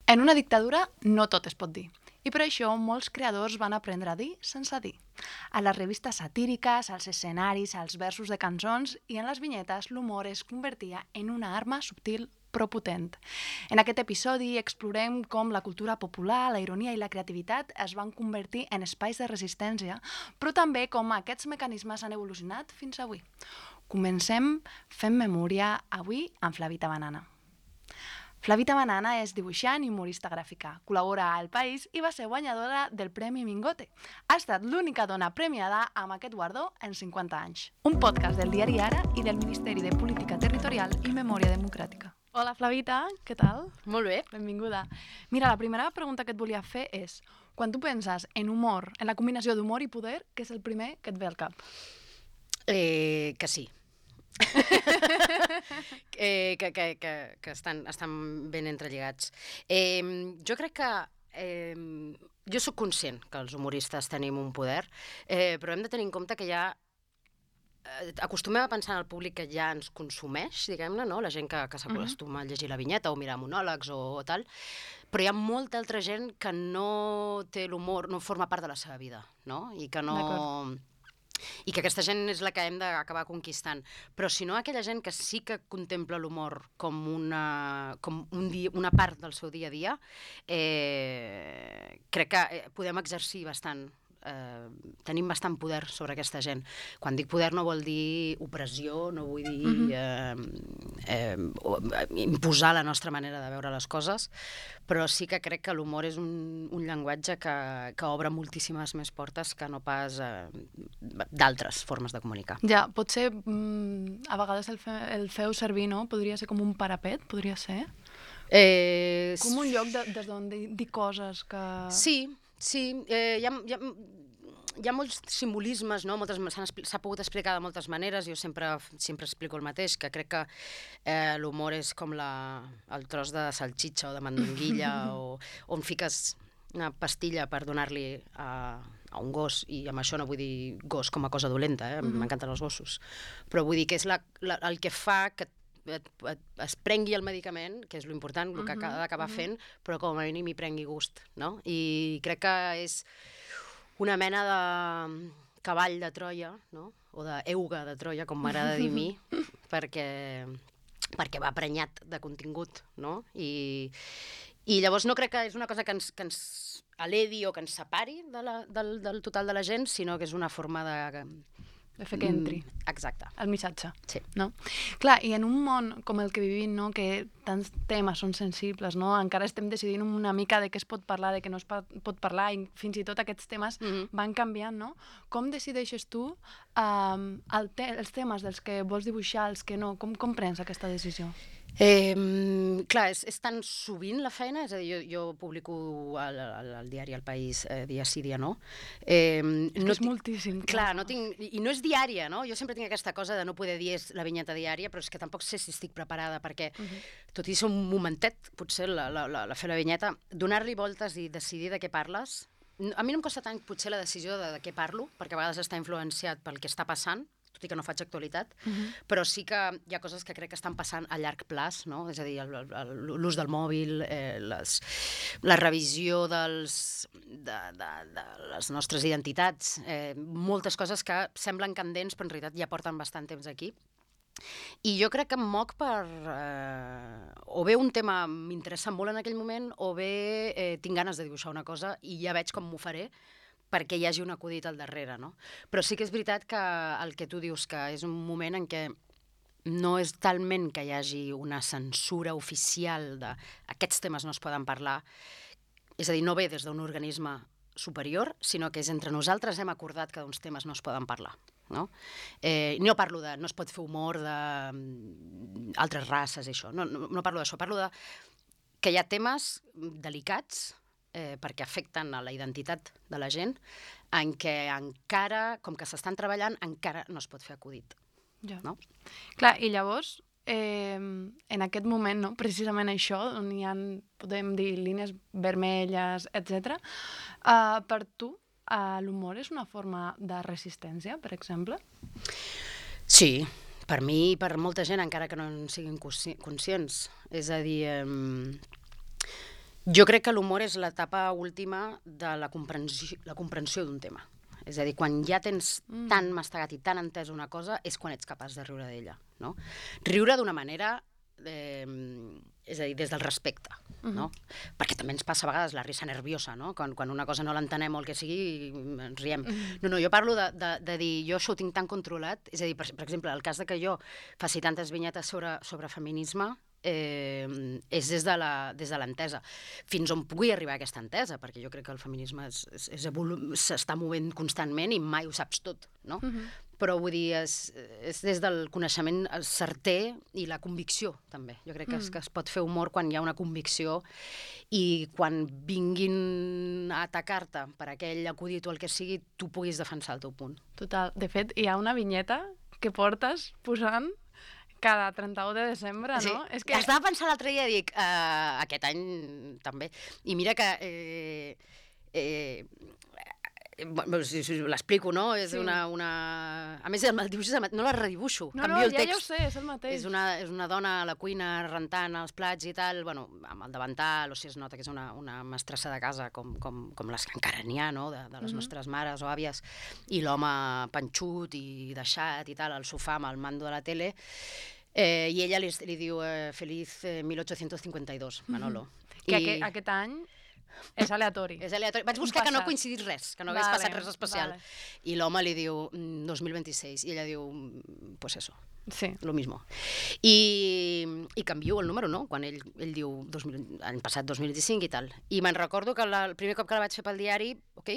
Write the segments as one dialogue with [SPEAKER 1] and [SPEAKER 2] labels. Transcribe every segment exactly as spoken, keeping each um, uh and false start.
[SPEAKER 1] En una dictadura no tot es pot dir. I per això molts creadors van aprendre a dir sense dir. A les revistes satíriques, als escenaris, als versos de cançons i en les vinyetes l'humor es convertia en una arma subtil però potent. En aquest episodi explorem com la cultura popular, la ironia i la creativitat es van convertir en espais de resistència, però també com aquests mecanismes han evolucionat fins avui. Comencem fent memòria avui amb Flavita Banana. Flavita Banana és dibuixant i humorista gràfica, col·labora a El País i va ser guanyadora del Premi Mingote. Ha estat l'única dona premiada amb aquest guardó en cinquanta anys. Un podcast del diari Ara i del Ministeri de Política Territorial i Memòria Democràtica. Hola Flavita, què tal?
[SPEAKER 2] Molt bé.
[SPEAKER 1] Benvinguda. Mira, la primera pregunta que et volia fer és, quan tu penses en humor, en la combinació d'humor i poder, què és el primer que et ve al cap?
[SPEAKER 2] Eh, que sí. eh, que que, que, que estan, estan ben entrelligats. Eh, jo crec que... Eh, jo sóc conscient que els humoristes tenim un poder, eh, però hem de tenir en compte que ja eh, acostumem a pensar en el públic que ja ens consumeix, diguem-ne, no? La gent que, que s'acostuma a llegir la vinyeta o mirar monòlegs o, o tal, però hi ha molta altra gent que no té l'humor, no forma part de la seva vida, no? I que no... I que aquesta gent és la que hem d'acabar conquistant. Però si no, aquella gent que sí que contempla l'humor com una, com un dia, una part del seu dia a dia, eh, crec que podem exercir bastant, eh, tenim bastant poder sobre aquesta gent. Quan dic poder no vol dir opressió, no vull dir mm-hmm. eh, eh, imposar la nostra manera de veure les coses, però sí que crec que l'humor és un, un llenguatge que, que obre moltíssimes més portes que no pas eh, d'altres formes de comunicar.
[SPEAKER 1] Ja, potser mm, a vegades el, fe, el feu servir, no? Podria ser com un parapet, podria ser?
[SPEAKER 2] Eh,
[SPEAKER 1] com un lloc de, des d'on dir, dir coses que...
[SPEAKER 2] Sí, sí. Eh, hi ha... Hi ha Hi ha molts simbolismes, no? Moltes, s'ha pogut explicar de moltes maneres. Jo sempre, sempre explico el mateix, que crec que eh, l'humor és com la, el tros de salxitxa o de mandonguilla o on fiques una pastilla per donar-li a, a un gos, i amb això no vull dir gos com a cosa dolenta, eh? Mm-hmm. M'encanten els gossos, però vull dir que és la, la, el que fa que et, et, es prengui el medicament, que és l'important, el que ha d'acabar fent, però com a mínim hi prengui gust, no? I crec que és una mena de cavall de Troia, no? O d'euga de Troia, com m'agrada dir a mi, perquè, perquè va prenyat de contingut, no? I, i llavors no crec que és una cosa que ens, que ens aledi o que ens separi de la, del, del total de la gent, sinó que és una forma de...
[SPEAKER 1] de fer que entri.
[SPEAKER 2] Mm, exacte.
[SPEAKER 1] El missatge.
[SPEAKER 2] Sí.
[SPEAKER 1] No? Clar, i en un món com el que vivim, no? Que tants temes són sensibles, no? Encara estem decidint una mica de què es pot parlar, de què no es pot parlar, i fins i tot aquests temes mm-hmm. van canviant, no? Com decideixes tu um, el te els temes dels que vols dibuixar, els que no? Com, com prens aquesta decisió?
[SPEAKER 2] Eh, clar, és, és tan sovint la feina, és a dir, jo, jo publico al, al, al diari El País eh, dia sí, dia no. Eh,
[SPEAKER 1] és
[SPEAKER 2] no
[SPEAKER 1] és moltíssim.
[SPEAKER 2] Clar, no tinc, i no és diària, no? Jo sempre tinc aquesta cosa de no poder dir és la vinyeta diària, però és que tampoc sé si estic preparada, perquè, uh-huh. tot i ser un momentet, potser, la, la, la, la fer la vinyeta, donar-li voltes i decidir de què parles. A mi no em costa tant, potser, la decisió de, de què parlo, perquè a vegades està influenciat pel que està passant, tot i que no faig actualitat, uh-huh. però sí que hi ha coses que crec que estan passant a llarg plaç, no? És a dir, l'ús del mòbil, eh, les, la revisió dels, de, de, de les nostres identitats, eh, moltes coses que semblen candents, però en realitat ja porten bastant temps aquí. I jo crec que em moc per... Eh, o bé un tema m'interessa molt en aquell moment, o bé eh, tinc ganes de dibuixar una cosa i ja veig com m'ho faré, perquè hi hagi un acudit al darrere, no? Però sí que és veritat que el que tu dius, que és un moment en què no és talment que hi hagi una censura oficial de aquests temes no es poden parlar, és a dir, no ve des d'un organisme superior, sinó que és entre nosaltres hem acordat que uns temes no es poden parlar, no? Eh, no parlo de... no es pot fer humor d'altres races i això, no, no, no parlo d'això, parlo de que hi ha temes delicats Eh, perquè afecten a la identitat de la gent, en què encara, com que s'estan treballant, encara no es pot fer acudit.
[SPEAKER 1] Ja.
[SPEAKER 2] No?
[SPEAKER 1] Clar, i llavors, eh, en aquest moment, no? Precisament això, on hi ha, podem dir, línies vermelles, etcètera, eh, per tu, eh, l'humor és una forma de resistència, per exemple?
[SPEAKER 2] Sí, per mi i per molta gent, encara que no en siguin consci- conscients. És a dir... Eh, Jo crec que l'humor és l'etapa última de la comprensió, la comprensió d'un tema. És a dir, quan ja tens mm. tan mastegat i tan entès una cosa, és quan ets capaç de riure d'ella, no? Riure d'una manera, eh, és a dir, des del respecte, no? Mm-hmm. Perquè també ens passa a vegades la risa nerviosa, no? Quan, quan una cosa no l'entenem o el que sigui, ens riem. Mm-hmm. No, no, jo parlo de, de, de dir, jo això ho tinc tan controlat, és a dir, per, per exemple, el cas de que jo faci tantes vinyetes sobre, sobre feminisme, Eh, és des de la, des de l'entesa. Fins on pugui arribar aquesta entesa, perquè jo crec que el feminisme s'està movent constantment i mai ho saps tot, no? Uh-huh. Però vull dir, és, és des del coneixement certer i la convicció, també. Jo crec que, mm. es, que es pot fer humor quan hi ha una convicció i quan vinguin a atacar-te per aquell acudit o el que sigui, tu puguis defensar el teu punt.
[SPEAKER 1] Total. De fet, hi ha una vinyeta que portes posant cada trenta-u de desembre,
[SPEAKER 2] sí.
[SPEAKER 1] no?
[SPEAKER 2] És que... Estava pensant l'altre dia, dic, uh, aquest any també. I mira que... Eh, eh, bueno, si, si l'explico, no? És sí. una, una... A més, el dibuix no la redibuixo,
[SPEAKER 1] no,
[SPEAKER 2] canvio
[SPEAKER 1] no,
[SPEAKER 2] el text.
[SPEAKER 1] Ja ho sé, és el mateix.
[SPEAKER 2] És una, és una dona a la cuina rentant els plats i tal, bueno, amb el davantal, o sigui, es nota que és una, una mestressa de casa, com, com, com les que encara n'hi ha, no?, de, de les mm-hmm. nostres mares o àvies, i l'home panxut i deixat i tal, al sofà amb el mando de la tele, eh, i ella li, li diu eh, Feliz eh, mil ochocientos cincuenta y dos, Manolo.
[SPEAKER 1] Mm-hmm. Que I... aquest, aquest any és aleatori.
[SPEAKER 2] És aleatori. Vaig buscar que no coincidís res, que no hagués vale, passat res especial. Vale. I l'home li diu dos mil vint-i-sis i ella diu, pues eso,
[SPEAKER 1] sí.
[SPEAKER 2] lo mismo. I, i canvio el número, no? Quan ell, ell diu dos mil, any passat dos mil vint-i-cinc i tal. I me'n recordo que la, el primer cop que la vaig fer pel diari, ok,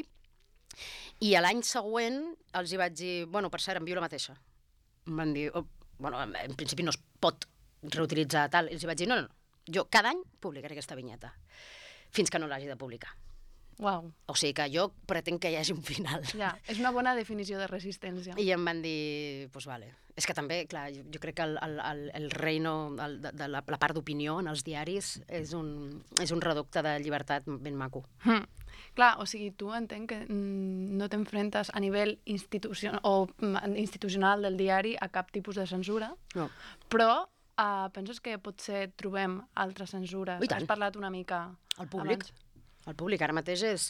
[SPEAKER 2] i a l'any següent els hi vaig dir, bueno, per cert, envio la mateixa. Em van dir, oh, bueno, en principi no es pot reutilitzar tal. I els hi vaig dir, no, no, no, jo cada any publicaré aquesta vinyeta, fins que no l'hagi de publicar.
[SPEAKER 1] Uau.
[SPEAKER 2] O sigui que jo pretenc que hi hagi un final.
[SPEAKER 1] Ja, és una bona definició de resistència.
[SPEAKER 2] I em van dir, doncs pues vale. És que també, clar, jo, jo crec que el, el, el reino el, de, de la, la part d'opinió en els diaris és un, és un reducte de llibertat ben maco.
[SPEAKER 1] Mm. Clar, o sigui, tu entenc que mm, no t'enfrentes a nivell institucion o, mm, institucional del diari a cap tipus de censura,
[SPEAKER 2] no.
[SPEAKER 1] Però uh, penses que potser trobem altres censures?
[SPEAKER 2] Has
[SPEAKER 1] parlat una mica
[SPEAKER 2] el públic. Abans? El públic ara mateix és...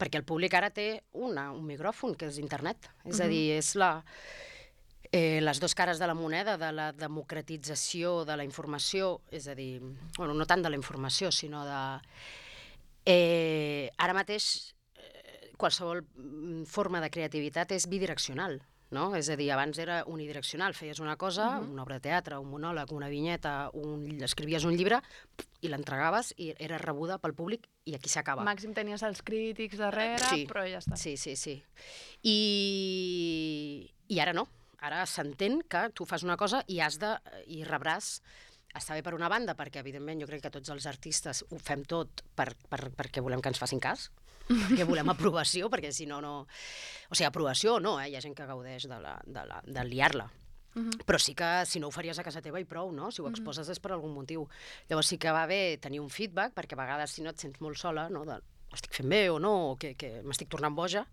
[SPEAKER 2] Perquè el públic ara té una, un micròfon, que és internet. És uh-huh. a dir, és la... Eh, les dues cares de la moneda, de la democratització de la informació, és a dir, bueno, no tant de la informació, sinó de... Eh, ara mateix eh, qualsevol forma de creativitat és bidireccional, no? És a dir, abans era unidireccional, feies una cosa, uh-huh. una obra de teatre, un monòleg, una vinyeta, un... escrivies un llibre i l'entregaves i era rebuda pel públic i aquí s'acaba.
[SPEAKER 1] Màxim tenies els crítics darrere,
[SPEAKER 2] sí.
[SPEAKER 1] però ja està.
[SPEAKER 2] Sí, sí, sí. I, i ara no. Ara s'entén que tu fas una cosa i has de... i rebràs... Està bé per una banda, perquè evidentment jo crec que tots els artistes ho fem tot per, per, perquè volem que ens facin cas, perquè volem aprovació, perquè si no, no... O sigui, aprovació no, eh? Hi ha gent que gaudeix de, la, de, la, de liar-la. Uh-huh. Però sí que si no ho faries a casa teva i prou, no? Si ho exposes uh-huh. és per algun motiu. Llavors sí que va bé tenir un feedback, perquè a vegades si no et sents molt sola, no? De, estic fent bé o no, o que, que m'estic tornant boja,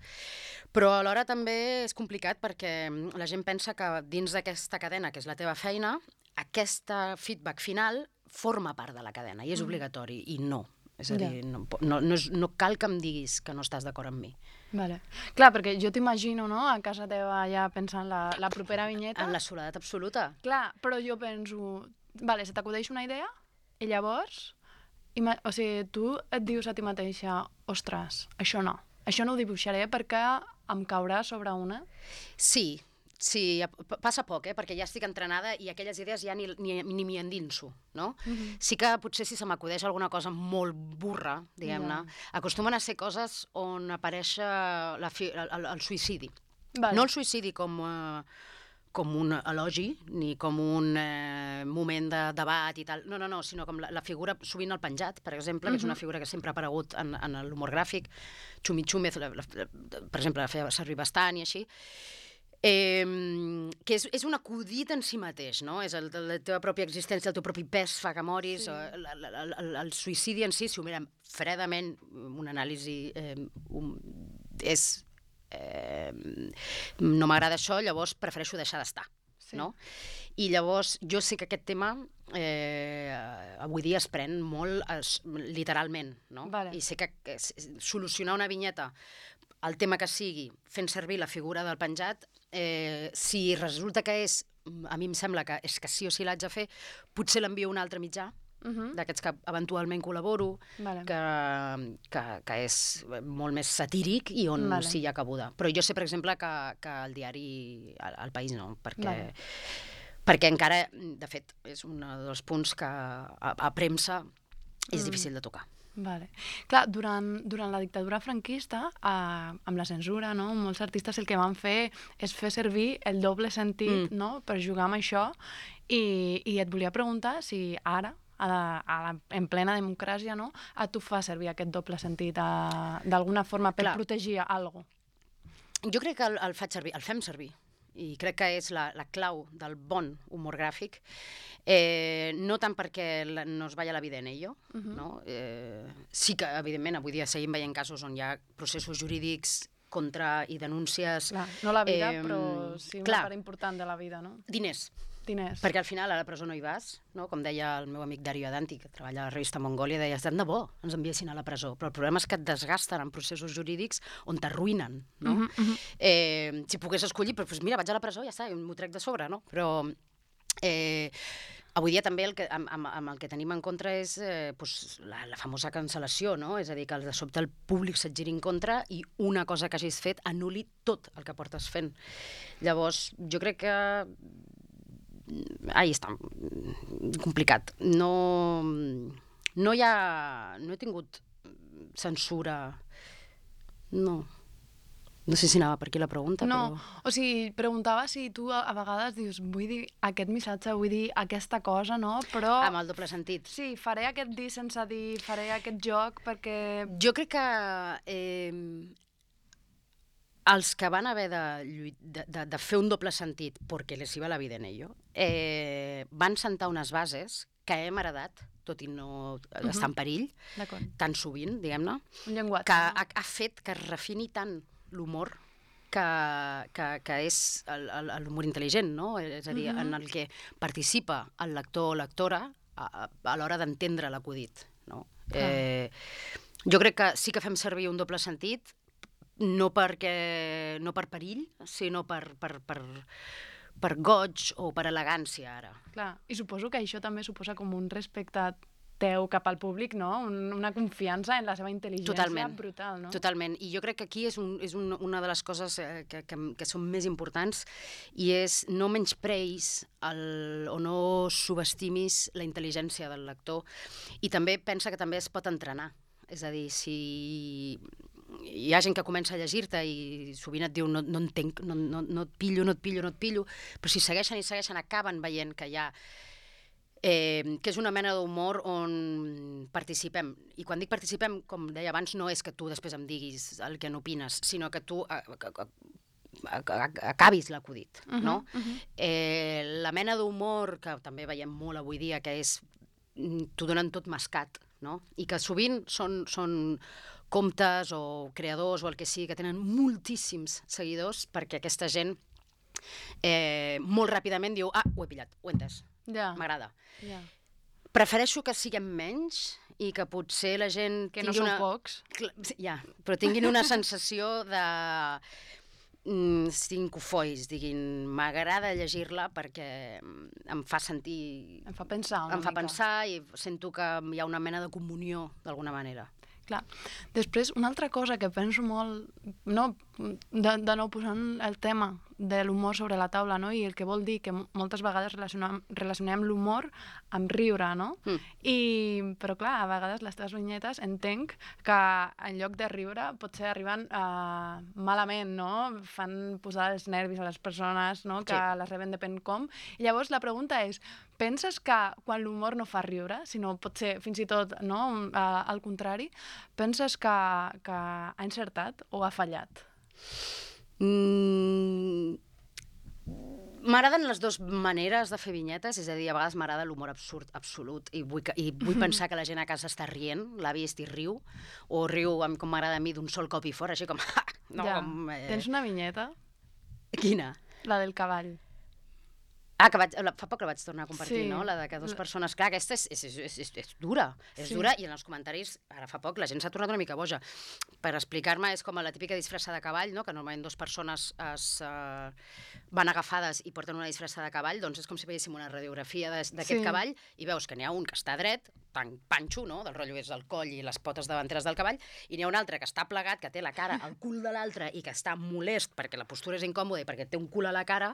[SPEAKER 2] però alhora també és complicat perquè la gent pensa que dins d'aquesta cadena, que és la teva feina, aquest feedback final forma part de la cadena i és mm. obligatori, i no. És a dir, yeah. no, no, no, és, no cal que em diguis que no estàs d'acord amb mi.
[SPEAKER 1] Vale. Clar, perquè jo t'imagino, no?, a casa teva ja pensant la, la propera vinyeta.
[SPEAKER 2] En la soledat absoluta.
[SPEAKER 1] Clar, però jo penso, vale, se t'acudeix una idea i llavors... Ima- o sigui, tu et dius a ti mateixa, ostres, això no, això no ho dibuixaré perquè em caurà sobre una?
[SPEAKER 2] Sí, sí, passa poc, eh? Perquè ja estic entrenada i aquelles idees ja ni, ni, ni m'hi endinso, no? Uh-huh. Sí que potser si se m'acudeix alguna cosa molt burra, diguem-ne, yeah. acostumen a ser coses on apareix la fi, el, el, el suïcidi. Vale. No el suïcidi com... Eh, com un elogi, ni com un eh, moment de debat i tal. No, no, no, sinó com la, la figura, sovint el penjat, per exemple, uh-huh. que és una figura que sempre ha aparegut en, en l'humor gràfic, Xumi Xúmez, la, la, per exemple, la feia servir bastant i així, eh, que és, és un acudit en si mateix, no? És el, la teva pròpia existència, el teu propi pes fa que moris, sí. el, el, el, el, el suïcidi en si, si ho mirem fredament, una anàlisi eh, un, és... Eh, no m'agrada això, llavors prefereixo deixar d'estar.
[SPEAKER 1] Sí.
[SPEAKER 2] no? I llavors jo sé que aquest tema eh, avui dia es pren molt es, literalment, no?
[SPEAKER 1] Vale.
[SPEAKER 2] I sé que, que solucionar una vinyeta, el tema que sigui, fent servir la figura del penjat, eh, si resulta que és, a mi em sembla que és que sí o sí l'haig de fer, potser l'envio a un altre mitjà,
[SPEAKER 1] Uh -huh.
[SPEAKER 2] d'aquests que eventualment col·laboro,
[SPEAKER 1] Vale.
[SPEAKER 2] que, que, que és molt més satíric i on
[SPEAKER 1] Vale.
[SPEAKER 2] sí hi ha cabuda. Però jo sé, per exemple, que, que el diari, el, el País no, perquè,
[SPEAKER 1] Vale.
[SPEAKER 2] perquè encara, de fet, és un dels punts que a, a premsa és
[SPEAKER 1] Mm.
[SPEAKER 2] difícil de tocar.
[SPEAKER 1] Vale. Clar, durant, durant la dictadura franquista, eh, amb la censura, no? Molts artistes el que van fer és fer servir el doble sentit,
[SPEAKER 2] Mm.
[SPEAKER 1] no? Per jugar amb això, i, i et volia preguntar si ara, a la, a la, en plena democràcia, no? A tu fa servir aquest doble sentit a, d'alguna forma per
[SPEAKER 2] Clar.
[SPEAKER 1] protegir alguna cosa.
[SPEAKER 2] Jo crec que el, el faig servir, el fem servir, i crec que és la, la clau del bon humor gràfic, eh, no tant perquè la, no es vaya la vida en ello, uh -huh. no? Eh, sí que, evidentment, avui dia seguim veient casos on hi ha processos jurídics contra i denúncies...
[SPEAKER 1] Clar, no la vida,
[SPEAKER 2] eh,
[SPEAKER 1] però sí una
[SPEAKER 2] clar,
[SPEAKER 1] part important de la vida, no?
[SPEAKER 2] diners.
[SPEAKER 1] Diners.
[SPEAKER 2] Perquè al final a la presó no hi vas, no? Com deia el meu amic Dario Adanti, que treballa a la revista Mongòlia, deia, tant de bo ens enviessin a la presó, però el problema és que et desgasten en processos jurídics on t'arruïnen, no?
[SPEAKER 1] Uh -huh, uh -huh.
[SPEAKER 2] eh, si pogués escollir, però doncs mira, vaig a la presó, ja està, m'ho trec de sobre, no? Però eh, avui dia també el que, amb, amb, amb el que tenim en contra és eh, doncs, la, la famosa cancel·lació, no? És a dir, que de sobte el públic se't giri en contra i una cosa que hagis fet anul·li tot el que portes fent. Llavors, jo crec que ahí està, complicat. No, no hi ha... No he tingut censura. No. No sé si anava per aquí la pregunta,
[SPEAKER 1] no,
[SPEAKER 2] però...
[SPEAKER 1] o sigui, preguntava si tu a, a vegades dius, vull dir aquest missatge, vull dir aquesta cosa, no? Però...
[SPEAKER 2] Amb el doble sentit.
[SPEAKER 1] Sí, faré aquest dir sense dir, faré aquest joc perquè...
[SPEAKER 2] Jo crec que... Eh, els que van haver de, de, de, de fer un doble sentit perquè les iba la vida en ello, eh, van sentar unes bases que hem heredat, tot i no uh-huh. estar en perill, tan sovint, diguem-ne,
[SPEAKER 1] un llenguatge,
[SPEAKER 2] que
[SPEAKER 1] no?
[SPEAKER 2] ha, ha fet que es refini tant l'humor que, que, que és l'humor intel·ligent, no? És a dir, uh-huh. en el que participa el lector o lectora a, a l'hora d'entendre l'acudit, no? Uh-huh. Eh, jo crec que sí que fem servir un doble sentit, no perquè no per perill, sinó per, per, per, per goig o per elegància, ara.
[SPEAKER 1] Clar, i suposo que això també suposa com un respecte teu cap al públic, no? Un, una confiança en la seva intel·ligència
[SPEAKER 2] Totalment,
[SPEAKER 1] brutal, no?
[SPEAKER 2] Totalment, i jo crec que aquí és, un, és un, una de les coses que, que, que són més importants i és no menyspreis el, o no subestimis la intel·ligència del lector, i també pensa que també es pot entrenar. És a dir, si hi ha gent que comença a llegir-te i sovint et diu no, no entenc, no, no, no et pillo, no et pillo, no et pillo, però si segueixen i segueixen acaben veient que hi ha eh, que és una mena d'humor on participem. I quan dic participem, com deia abans, no és que tu després em diguis el que n'opines, sinó que tu a, a, a, a, acabis l'acudit, uh-huh, no? Uh-huh. eh, la mena d'humor que també veiem molt avui dia, que és t'ho donen tot mascat, no? I que sovint són, són comptes o creadors o el que sigui que tenen moltíssims seguidors perquè aquesta gent eh, molt ràpidament diu ah, ho he pillat, ho he entès,
[SPEAKER 1] ja.
[SPEAKER 2] m'agrada.
[SPEAKER 1] Ja.
[SPEAKER 2] Prefereixo que siguem menys i que potser la gent
[SPEAKER 1] que no sou
[SPEAKER 2] una...
[SPEAKER 1] pocs.
[SPEAKER 2] Ja, però tinguin una sensació de mm, cincofois, diguin, m'agrada llegir-la perquè em fa sentir...
[SPEAKER 1] Em fa pensar una
[SPEAKER 2] Em fa
[SPEAKER 1] mica.
[SPEAKER 2] pensar i sento que hi ha una mena de comunió, d'alguna manera.
[SPEAKER 1] Clar. Després, una altra cosa que penso molt, no, de, de nou posant el tema de l'humor sobre la taula, no? I el que vol dir que moltes vegades relacionem, relacionem l'humor amb riure, no?
[SPEAKER 2] Mm.
[SPEAKER 1] I, però clar, a vegades les teves vinyetes entenc que en lloc de riure potser arriben uh, malament, no? Fan posar els nervis a les persones, no? Que
[SPEAKER 2] Sí.
[SPEAKER 1] les reben depèn com. I llavors la pregunta és, penses que quan l'humor no fa riure, sinó potser fins i tot no? uh, al contrari, penses que, que ha encertat o ha fallat?
[SPEAKER 2] Mm, m'agraden les dues maneres de fer vinyetes, és a dir, a vegades m'agrada l'humor absurd absolut i vull, que, i vull pensar que la gent a casa està rient, l'ha vist i riu, o riu amb, com m'agrada a mi d'un sol cop i fora, així com... no,
[SPEAKER 1] ja.
[SPEAKER 2] com eh...
[SPEAKER 1] Tens una vinyeta?
[SPEAKER 2] Quina?
[SPEAKER 1] La del cavall.
[SPEAKER 2] Ah, que vaig, fa poc la vaig tornar a compartir,
[SPEAKER 1] Sí.
[SPEAKER 2] no? La de que dues persones... Clar, aquesta és, és, és, és, és dura, és
[SPEAKER 1] Sí.
[SPEAKER 2] dura, i en els comentaris, ara fa poc, la gent s'ha tornat una mica boja. Per explicar-me, és com la típica disfressa de cavall, no? Que normalment dues persones es, uh, van agafades i porten una disfressa de cavall, doncs és com si veiéssim una radiografia d'aquest
[SPEAKER 1] Sí.
[SPEAKER 2] cavall i veus que n'hi ha un que està dret, tan panxo, no? Del rotllo és el coll i les potes davanteres del cavall, i n'hi ha un altre que està plegat, que té la cara al cul de l'altre i que està molest perquè la postura és incòmoda i perquè té un cul a la cara,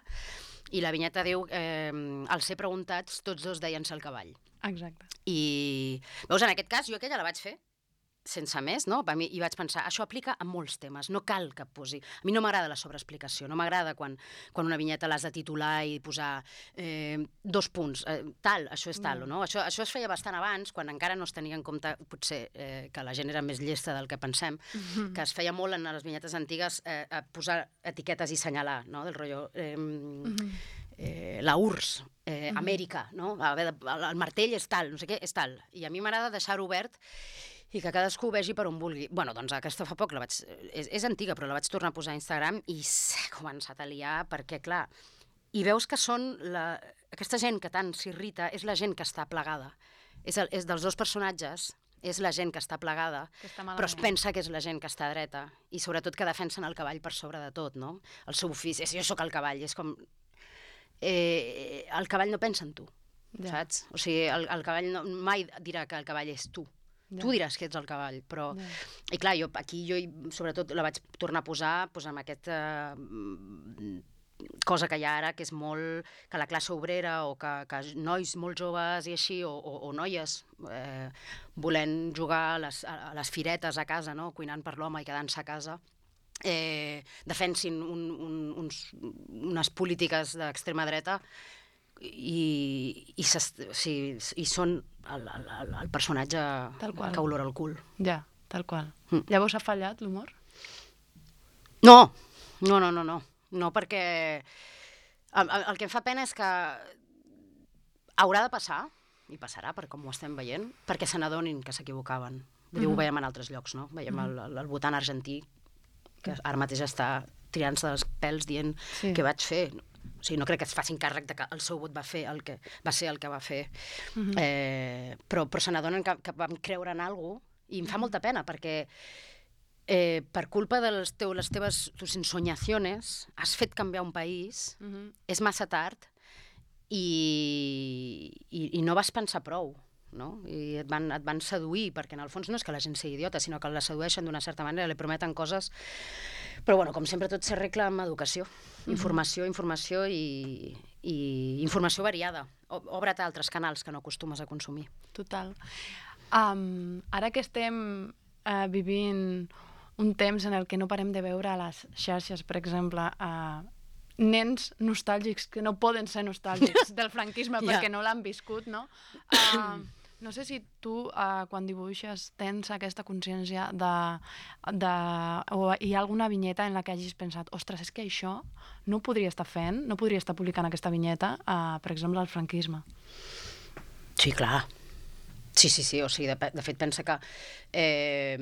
[SPEAKER 2] i la vinyeta diu, eh, al ser preguntats, tots dos deien-se el cavall.
[SPEAKER 1] Exacte.
[SPEAKER 2] I, veus, en aquest cas, jo aquella la vaig fer sense més, no? I vaig pensar, això aplica a molts temes, no cal que posi... A mi no m'agrada la sobreexplicació, no m'agrada quan, quan una vinyeta l'has de titular i posar eh, dos punts, eh, tal, això és tal, no? Això, això es feia bastant abans, quan encara no es tenia en compte, potser, eh, que la gent era més llesta del que pensem, mm-hmm. que es feia molt en les vinyetes antigues eh, a posar etiquetes i senyalar, no? Del rotllo... Eh, mm-hmm. eh, la U R S S, eh, mm-hmm. Amèrica, no? A veure, el martell és tal, no sé què, és tal. I a mi m'agrada deixar-ho obert i que cadascú vegi per on vulgui. Bueno, doncs aquesta fa poc la vaig... És, és antiga, però la vaig tornar a posar a Instagram i s'ha començat a liar perquè, clar, i veus que són... La... Aquesta gent que tant s'irrita és la gent que està plegada. És, el, és dels dos personatges, és la gent que està plegada, que està però es pensa que és la gent que està dreta i sobretot que defensen el cavall per sobre de tot, no? El seu ofici, és, jo sóc el cavall, és com... Eh, el cavall no pensa en tu, ja. Saps? O sigui, el, el cavall no, mai dirà que el cavall és tu. Ja. Tu diràs que ets el cavall, però... Ja. I clar, jo aquí jo sobretot la vaig tornar a posar pues, amb aquesta uh, cosa que hi ha ara, que és molt... que la classe obrera o que, que nois molt joves i així, o, o, o noies eh, volent jugar a les, a les firetes a casa, no? Cuinant per l'home i quedant-se a casa, eh, defensin un, un, uns, unes polítiques d'extrema dreta i, i, o sigui, i són el, el, el personatge que olora el cul.
[SPEAKER 1] Ja, tal qual. Mm. Llavors ha fallat l'humor?
[SPEAKER 2] No, no, no, no, no, no perquè el, el, el que em fa pena és que haurà de passar, i passarà, per com ho estem veient, perquè se n'adonin que s'equivocaven. Vull dir, mm-hmm. ho veiem en altres llocs, no? Veiem mm-hmm. el, el, el votant argentí, que ara mateix està tirant-se dels pèls dient sí. què vaig fer. O sigui, no crec que es facin càrrec de que el seu vot va fer el que va ser el que va fer. Uh-huh. eh, però, però se n'adonen que, que vam creure en alguna cosa i em fa molta pena perquè eh, per culpa de les, teu, les teves tus ensoñaciones has fet canviar un país, uh-huh. és massa tard i, i, i no vas pensar prou. No? I et van, et van seduir, perquè en el fons no és que la gent sigui idiota, sinó que la sedueixen d'una certa manera, li prometen coses, però bueno, com sempre tot s'arregla amb educació, mm-hmm. informació, informació i, i informació variada. Obre't altres canals que no acostumes a consumir.
[SPEAKER 1] Total. Um, ara que estem uh, vivint un temps en el que no parem de veure a les xarxes, per exemple, uh, nens nostàlgics que no poden ser nostàlgics del franquisme yeah. perquè no l'han viscut, no? Uh, no sé si tu, uh, quan dibuixes, tens aquesta consciència de, de... o hi ha alguna vinyeta en la que hagis pensat ostres, és que això no ho podria estar fent, no podria estar publicant aquesta vinyeta, uh, per exemple, al franquisme.
[SPEAKER 2] Sí, clar. Sí, sí, sí. O sigui, de, de fet, pensa que eh,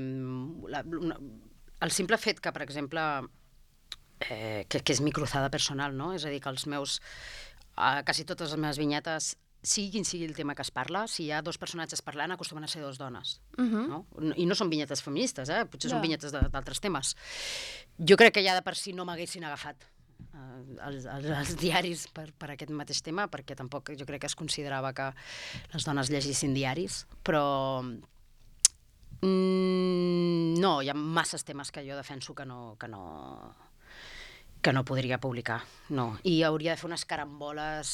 [SPEAKER 2] la, una, el simple fet que, per exemple, eh, que, que és mi cruzada personal, no? És a dir, que els meus... Eh, quasi totes les meves vinyetes, sigui quin sigui el tema que es parla, si hi ha dos personatges parlant, acostumen a ser dos dones. Uh-huh. No? I no són vinyetes feministes, eh? Potser yeah. són vinyetes d'altres temes. Jo crec que ja de per si no m'haguessin agafat eh, els, els, els diaris per, per aquest mateix tema, perquè tampoc jo crec que es considerava que les dones llegissin diaris, però mm, no, hi ha masses temes que jo defenso que no... Que no que no podria publicar, no. I hauria de fer unes caramboles...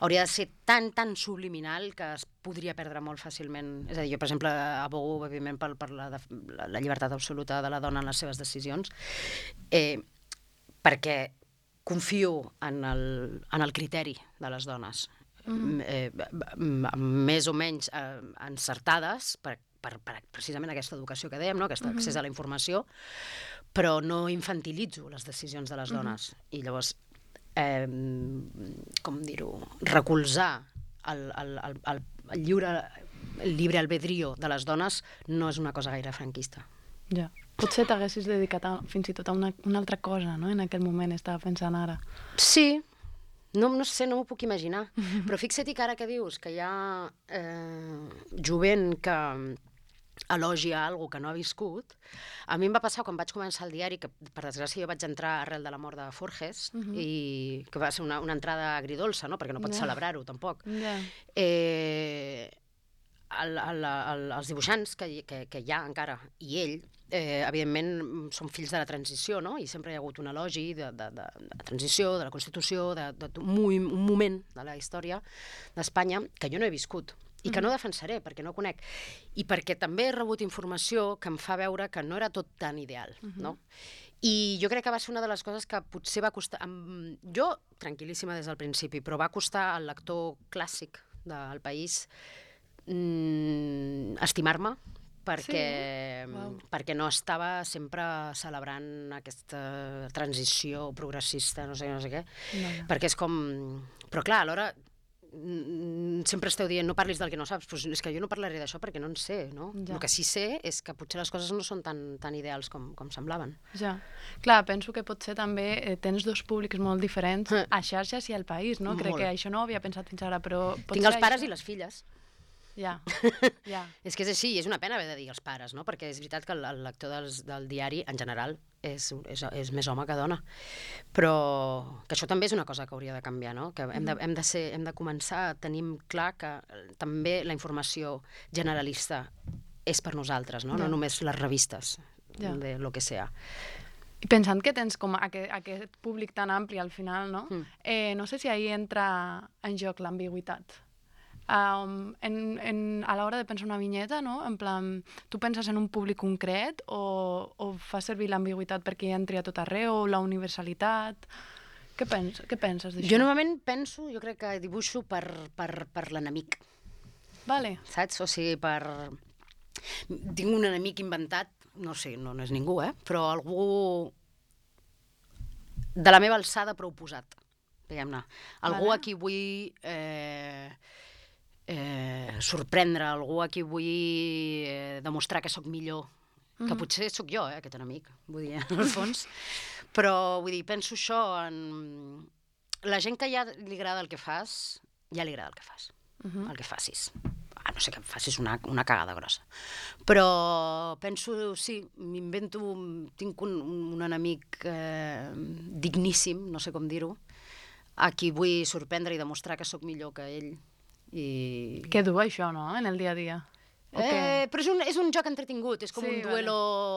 [SPEAKER 2] Hauria de ser tan, tan subliminal que es podria perdre molt fàcilment. És a dir, jo, per exemple, abogo, òbviament, per, per la, la, la llibertat absoluta de la dona en les seves decisions, eh, perquè confio en el, en el criteri de les dones, mm-hmm. eh, més o menys eh, encertades, per, per, per precisament aquesta educació que dèiem, no? Aquest accés mm-hmm. a la informació, però no infantilitzo les decisions de les dones. Mm-hmm. I llavors, eh, com dir-ho, recolzar el, el, el, el, el lliure el llibre albedrío de les dones no és una cosa gaire franquista.
[SPEAKER 1] Ja. Potser t'haguessis dedicat a, fins i tot a una, una altra cosa, no? En aquell moment estava pensant ara.
[SPEAKER 2] Sí, No, no sé, no m'ho puc imaginar. Però fixa't que ara que dius que hi ha eh, jovent que elogia alguna que no ha viscut, a mi em va passar quan vaig començar el diari, que per desgràcia jo vaig entrar arrel de la mort de Forges, uh -huh. i que va ser una, una entrada agridolça, no? Perquè no pots yeah. celebrar-ho, tampoc. Yeah. Eh, el, el, el, els dibuixants que, que, que hi ha encara, i ell, eh, evidentment són fills de la transició, no? I sempre hi ha hagut un elogi de, de, de, de la transició, de la Constitució, d'un de, de, un, un moment de la història d'Espanya que jo no he viscut i que no defensaré, perquè no conec. I perquè també he rebut informació que em fa veure que no era tot tan ideal, uh-huh. no? I jo crec que va ser una de les coses que potser va costar... Jo, tranquil·líssima des del principi, però va costar al lector clàssic del País mm, estimar-me, perquè, sí? Wow. perquè no estava sempre celebrant aquesta transició progressista, no sé, no sé què, no, no. perquè és com... Però clar, alhora sempre esteu dient no parlis del que no saps, però és que jo no parlaré d'això perquè no en sé, no? Ja. El que sí sé és que potser les coses no són tan, tan ideals com, com semblaven.
[SPEAKER 1] Ja. Clar, penso que potser també eh, tens dos públics molt diferents eh. a xarxes i al País, no? Molt. Crec que això no ho havia pensat fins ara, però...
[SPEAKER 2] Tinc els pares això... i les filles.
[SPEAKER 1] Ja, ja.
[SPEAKER 2] És que és així, i és una pena haver de dir els pares, no? Perquè és veritat que el, el lector dels, del diari, en general, és, és, és més home que dona. Però que això també és una cosa que hauria de canviar, no? Que hem de, hem de, ser, hem de començar a tenir clar que també la informació generalista és per nosaltres, no? Ja. No només les revistes, ja. de lo que sea.
[SPEAKER 1] I pensant que tens com aquest, aquest públic tan ampli al final, no? Mm. Eh, no sé si ahí entra en joc l'ambigüitat. Um, en, en, a l'hora de pensar una vinyeta, no? En plan, tu penses en un públic concret o, o fas servir l'ambigüitat perquè hi entri a tot arreu, la universalitat... Què, pens, què penses d'això?
[SPEAKER 2] Jo normalment penso, jo crec que dibuixo per, per, per l'enemic.
[SPEAKER 1] Vale.
[SPEAKER 2] Saps? O sigui, per... Tinc un enemic inventat, no sé, no, no és ningú, eh? Però algú de la meva alçada però oposat, diguem-ne. Algú vale. A qui vull... Eh... Eh, sorprendre algú a qui vull eh, demostrar que sóc millor, mm-hmm. que potser sóc jo, eh, aquest enemic, vull dir, en el fons. Però, vull dir, penso això en... La gent que ja li agrada el que fas, ja li agrada el que fas, mm-hmm. el que facis. Ah, no sé que em facis una, una cagada grossa. Però penso, sí, m'invento, tinc un, un enemic eh, digníssim, no sé com dir-ho, a qui vull sorprendre i demostrar que sóc millor que ell. I...
[SPEAKER 1] Que dur això, no?, en el dia a dia.
[SPEAKER 2] Eh, però és un, és un joc entretingut, és com sí, un duelo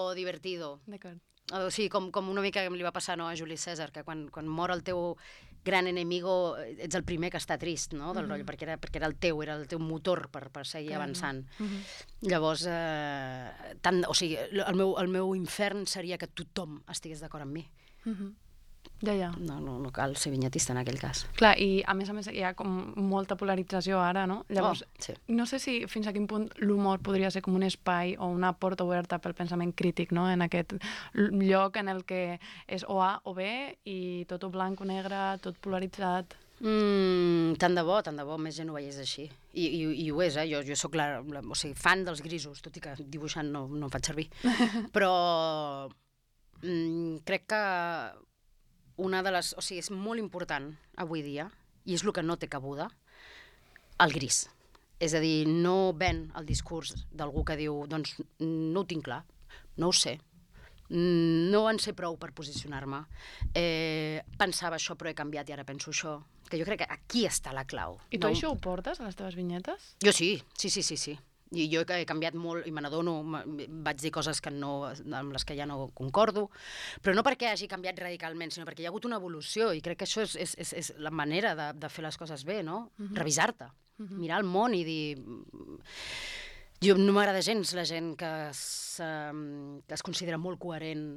[SPEAKER 2] vale. Divertido.
[SPEAKER 1] D'acord.
[SPEAKER 2] O sigui, com, com una mica li va passar, no, a Juli César, que quan, quan mor el teu gran enemigo ets el primer que està trist, no?, del mm-hmm. rotllo, perquè era, perquè era el teu, era el teu motor per, per seguir Clar, avançant. Mm-hmm. Llavors, eh, tant, o sigui, el meu, el meu infern seria que tothom estigués d'acord amb mi.
[SPEAKER 1] Mm-hmm. Ja, ja.
[SPEAKER 2] No, no, no cal ser vinyetista en aquell cas.
[SPEAKER 1] Clar, i a més a més hi ha com molta polarització ara, no? Llavors,
[SPEAKER 2] oh, sí.
[SPEAKER 1] no sé si fins a quin punt l'humor podria ser com un espai o una porta oberta pel pensament crític, no? En aquest lloc en el que és o A o B i tot o blanc o negre, tot polaritzat.
[SPEAKER 2] Mm, tant de bo, tant de bo, més gent ho veiés així. I, i, i ho és, eh? Jo, jo soc la, la, o sigui, fan dels grisos, tot i que dibuixant no, no em faig servir. Però mm, crec que una de les... O sigui, és molt important avui dia, i és el que no té cabuda, el gris. És a dir, no ven el discurs d'algú que diu doncs no ho tinc clar, no ho sé, no en sé prou per posicionar-me, eh, pensava això però he canviat i ara penso això, que jo crec que aquí està la clau.
[SPEAKER 1] I tu no? Això ho portes a les teves vinyetes?
[SPEAKER 2] Jo sí, sí, sí, sí, sí. I jo he canviat molt i me n'adono, vaig dir coses que no, amb les que ja no concordo, però no perquè hagi canviat radicalment, sinó perquè hi ha hagut una evolució i crec que això és, és, és, és la manera de, de fer les coses bé, no? Uh-huh. Revisar-te, uh-huh. mirar el món i dir... Jo no m'agrada gens la gent que es, que es considera molt coherent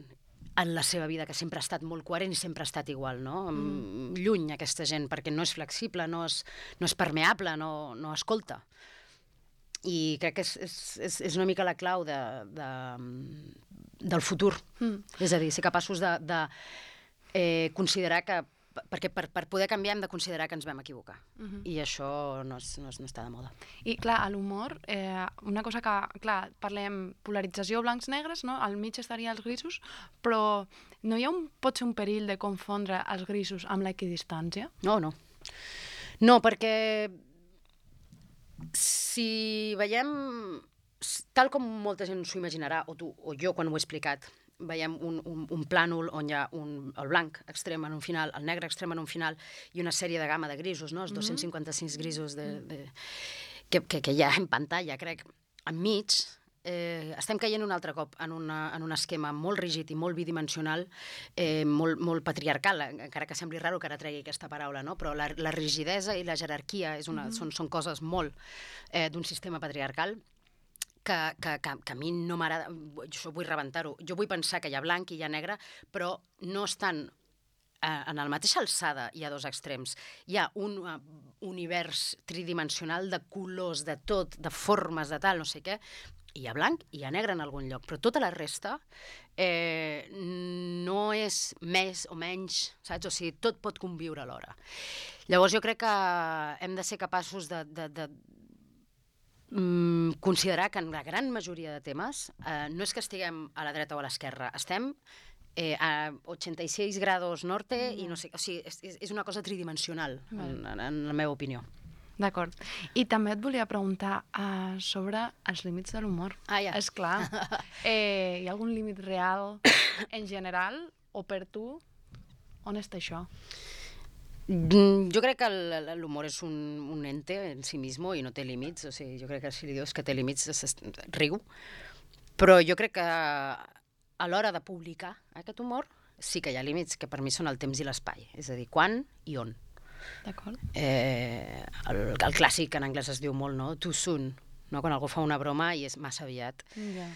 [SPEAKER 2] en la seva vida, que sempre ha estat molt coherent i sempre ha estat igual, no? Mm. Lluny aquesta gent, perquè no és flexible, no és, no és permeable, no, no escolta. I crec que és, és, és una mica la clau de, de, del futur. Mm. És a dir, ser capaços de, de eh, considerar que... Perquè per, per poder canviar hem de considerar que ens vam equivocar. Mm-hmm. I això no, és, no, és, no està de moda.
[SPEAKER 1] I clar, a l'humor, eh, una cosa que... Clar, parlem polarització blancs-negres, no? Al mig estaria els grisos, però no hi ha un, pot ser un perill de confondre els grisos amb l'equidistància?
[SPEAKER 2] No, no. No, perquè si veiem, tal com molta gent s'ho imaginarà, o tu o jo quan ho he explicat, veiem un, un, un plànol on hi ha un, el blanc extrem en un final, el negre extrem en un final i una sèrie de gamma de grisos, no? Els dos-cents cinquanta-sis grisos de, de, que, que, que hi ha en pantalla, crec, enmig, eh, estem caient un altre cop en, una, en un esquema molt rígid i molt bidimensional, eh, molt, molt patriarcal, encara que sembli raro que ara tregui aquesta paraula, no? Però la, la rigidesa i la jerarquia és una, mm-hmm. són, són coses molt eh, d'un sistema patriarcal que, que, que, que a mi no m'agrada, jo vull rebentar-ho. Jo vull pensar que hi ha blanc i hi ha negre, però no estan en la mateixa alçada, hi ha dos extrems. Hi ha un uh, univers tridimensional de colors, de tot, de formes, de tal, no sé què. Hi ha blanc i hi ha negre en algun lloc, però tota la resta eh, no és més o menys, saps? O sigui, tot pot conviure alhora. Llavors jo crec que hem de ser capaços de, de, de mm, considerar que en la gran majoria de temes eh, no és que estiguem a la dreta o a l'esquerra, estem Eh, a ochenta y seis grados norte mm. i no sé, o sigui, és, és una cosa tridimensional, en, en, en la meva opinió.
[SPEAKER 1] D'acord. I també et volia preguntar uh, sobre els límits de l'humor.
[SPEAKER 2] Ah, ja.
[SPEAKER 1] És clar. Eh, hi ha algun límit real en general o per tu? On està això?
[SPEAKER 2] Jo crec que l'humor és un, un ente en si mismo i no té límits. O sigui, jo crec que si li dius que té límits, riu. Però jo crec que a l'hora de publicar aquest humor sí que hi ha límits, que per mi són el temps i l'espai. És a dir, quan i on.
[SPEAKER 1] D'acord.
[SPEAKER 2] Eh, el, el clàssic en anglès es diu molt, no? Too soon. No? Quan algú fa una broma i és massa aviat.
[SPEAKER 1] Yeah.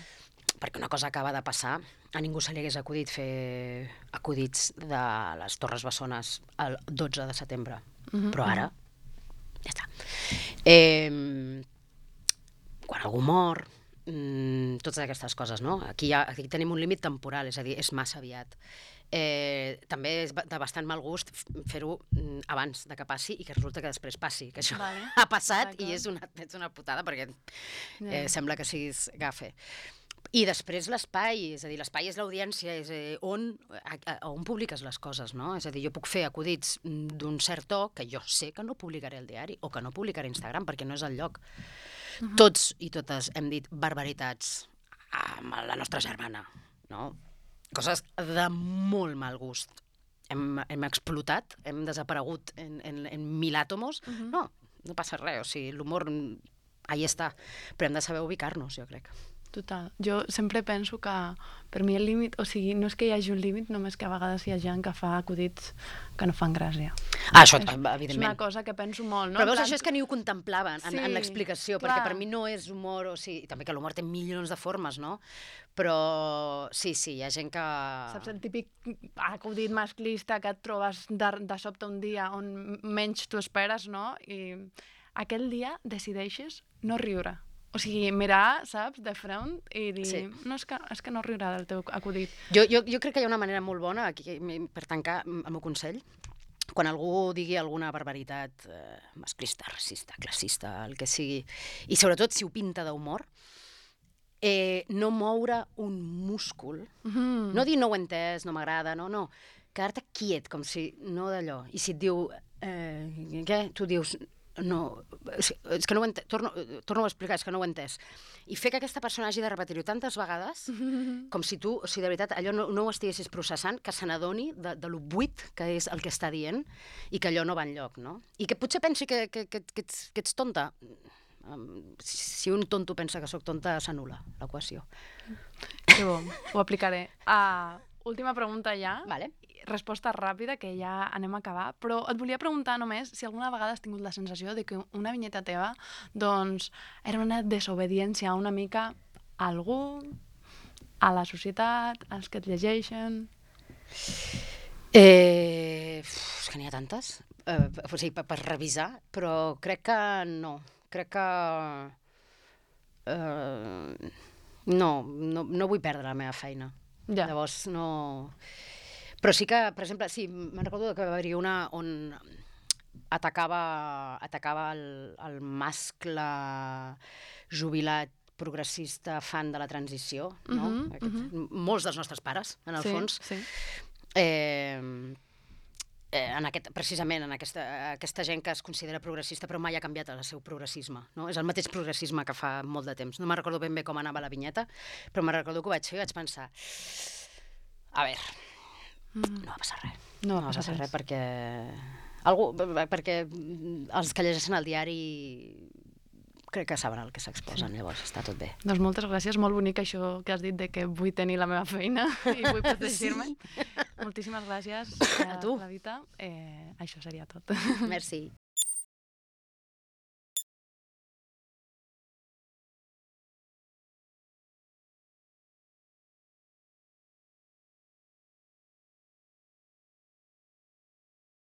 [SPEAKER 2] Perquè una cosa acaba de passar. A ningú se li hagués acudit fer acudits de les Torres Bessones el dotze de setembre. Mm-hmm. Però ara, ja està. Eh, quan algú mor, Mm, totes aquestes coses, no? Aquí, ha, aquí tenim un límit temporal, és a dir, és massa aviat. Eh, també és de bastant mal gust fer-ho abans de que passi i que resulta que després passi, que això vale. ha passat i és una, és una putada perquè eh, yeah. sembla que siguis gafe. I després l'espai, és a dir, l'espai és l'audiència, és a dir, on, a, a, on publiques les coses, no? És a dir, jo puc fer acudits d'un cert to que jo sé que no publicaré al diari o que no publicaré a Instagram perquè no és el lloc. Uh-huh. Tots i totes hem dit barbaritats amb la nostra germana, no? Coses de molt mal gust. Hem, hem explotat, hem desaparegut en, en, en mil àtomos. Uh-huh. No, no passa res, o sigui, l'humor ahí està, però hem de saber ubicar-nos, jo crec.
[SPEAKER 1] Total. Jo sempre penso que per mi el límit, o sigui, no és que hi hagi un límit, només que a vegades hi ha gent que fa acudits que no fan gràcia.
[SPEAKER 2] Ah, això,
[SPEAKER 1] és,
[SPEAKER 2] evidentment.
[SPEAKER 1] És una cosa que penso molt, no?
[SPEAKER 2] Però veus, això és que ni ho contemplaven en, sí, en l'explicació,
[SPEAKER 1] clar.
[SPEAKER 2] Perquè per mi no és humor, o sigui, també que l'humor té milions de formes, no? Però sí, sí, hi ha gent que...
[SPEAKER 1] Saps el típic acudit masclista que et trobes de, de sobte un dia on menys t'ho esperes, no? I aquell dia decideixes no riure. O sigui, mirar, saps, de front i dir, sí. no, és que, és que no riurà del teu acudit.
[SPEAKER 2] Jo, jo, jo crec que hi ha una manera molt bona, aquí, per tancar el meu consell, quan algú digui alguna barbaritat eh, masclista, racista, classista, el que sigui, i sobretot si ho pinta d'humor, eh, no moure un múscul, mm-hmm. no dir no ho he entès, no m'agrada, no, no, quedar-te quiet, com si, no d'allò, i si et diu, eh, què? Tu dius... No, és que no ho ent... torno, torno a explicar, és que no ho he entès. I fer que aquesta persona hagi de repetir-ho tantes vegades, com si tu, o sigui, de veritat, allò no, no ho estiguessis processant, que se n'adoni de, de lo buit que és el que està dient i que allò no va enlloc, no? I que potser pensi que, que, que, que, ets, que ets tonta. Si un tonto pensa que sóc tonta, s'anul·la l'equació.
[SPEAKER 1] Que bo, ho aplicaré. Uh, última pregunta ja.
[SPEAKER 2] Vale.
[SPEAKER 1] Resposta ràpida, que ja anem a acabar, però et volia preguntar només si alguna vegada has tingut la sensació de que una vinyeta teva doncs, era una desobediència una mica a algú, a la societat, als que et llegeixen...
[SPEAKER 2] Eh, és que n'hi ha tantes, eh, o sigui, per, per revisar, però crec que no. Crec que... Eh, no, no, no vull perdre la meva feina. Ja. Llavors, no... Però sí que, per exemple, sí, me'n recordo que va haver-hi una on atacava, atacava el, el mascle jubilat progressista fan de la transició, no? Uh-huh, Aquest, uh-huh. Molts dels nostres pares, en el sí, fons. Sí. Eh, eh, en aquest, precisament en aquesta, aquesta gent que es considera progressista però mai ha canviat el seu progressisme, no? És el mateix progressisme que fa molt de temps. No me'n recordo ben bé com anava la vinyeta, però me'n recordo que ho vaig fer i vaig pensar a veure, mm. no va passar res.
[SPEAKER 1] No
[SPEAKER 2] va
[SPEAKER 1] va
[SPEAKER 2] passar
[SPEAKER 1] passar
[SPEAKER 2] res perquè... Algú, perquè els que llegeixen el diari crec que saben el que s'exposen, sí. Llavors està tot bé.
[SPEAKER 1] Doncs moltes gràcies, molt bonic això que has dit de que vull tenir la meva feina i vull protegir-me. Sí. Moltíssimes gràcies
[SPEAKER 2] a tu.
[SPEAKER 1] Clavita. Eh, això seria tot.
[SPEAKER 2] Merci.